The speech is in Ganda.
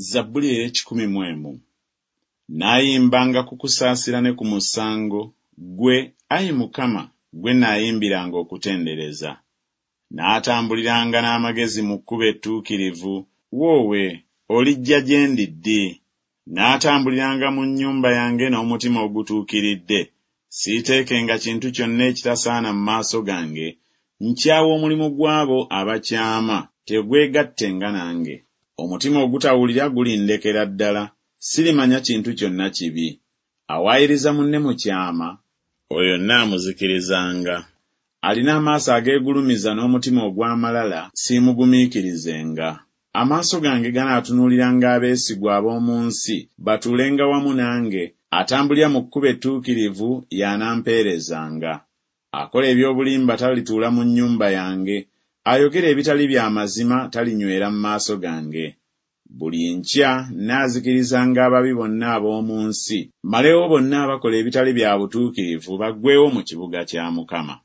Zabbuli ey'ekikumi mu emu. Naayimbanga ku kusaasira ne ku musango, ggwe, ayi Mukama, ggwe naayimbiranga okutendereza. Naatambuliranga n'amagezi mu kkubo ettuukirivu, woowe, olijja gye ndi ddi? Naatambuliranga mu nnyumba yange n'omutima ogutuukiridde, siiteekenga kintu kyonna ekitasaana mu maaso gange. Nkyawa omulimu gw'abo abakyama, tegwegattenga nange. Omutima ogutawulira gulindekera ddala, sirimanya kintu kyonna kibi. Awaayiriza munne mu kyama, oyo nnaamuzikirizanga. Alina amaaso ageegulumiza n'omutima ogw'amalala, siimugumiikirizenga. Amaaso gange ganaatunuuliranga abeesigwa ab'omu nsi, batuulenga wamu nange, atambulira mu kkubo ettuukirivu y'anampeerezanga. Akola eby'obulimba talituula mu nnyumba yange, ayogera ebitali bya mazima talinywera mu maaso gange. Buli nkya nnaazikirizanga ababi bonna ab'omu nsi, mmalewo bonna abakola ebitali bya butuukirivu baggweewo mu kibuga kya Mukama.